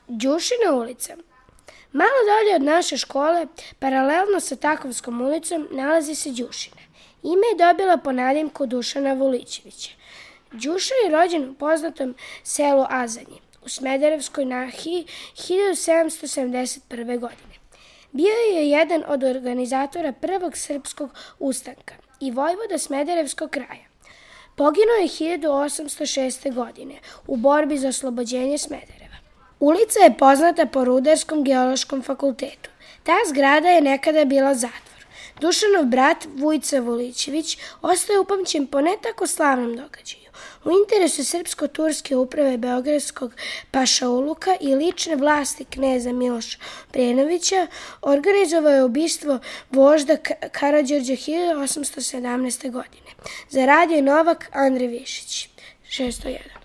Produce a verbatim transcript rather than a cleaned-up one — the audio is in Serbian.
Đušina ulica. Malo dalje od naše škole, paralelno sa Takovskom ulicom, nalazi se Đušina. Ime je dobila po nadimku Dušana Vulićevića. Đušin je rođen u poznatom selu Azanje u Smederevskoj nahiji hiljadu sedamsto sedamdeset prve. godine. Bio je jedan od organizatora prvog srpskog ustanka i vojvoda Smederevskog kraja. Poginuo je hiljadu osamsto šeste. godine u borbi za oslobođenje Smedereva. Ulica je poznata po Rudarskom geološkom fakultetu. Ta zgrada je nekada bila zatvor. Dušanov brat Vujica Vulićević ostaje upamćen po ne tako slavnom događaju. U interesu srpsko-turske uprave beogradskog pašauluka i lične vlasti kneza Miloša Obrenovića organizovao je ubistvo vožda Karađorđa hiljadu osamsto sedamnaeste. godine. Zaradio je Novak Andrej Višić. šesto jedan.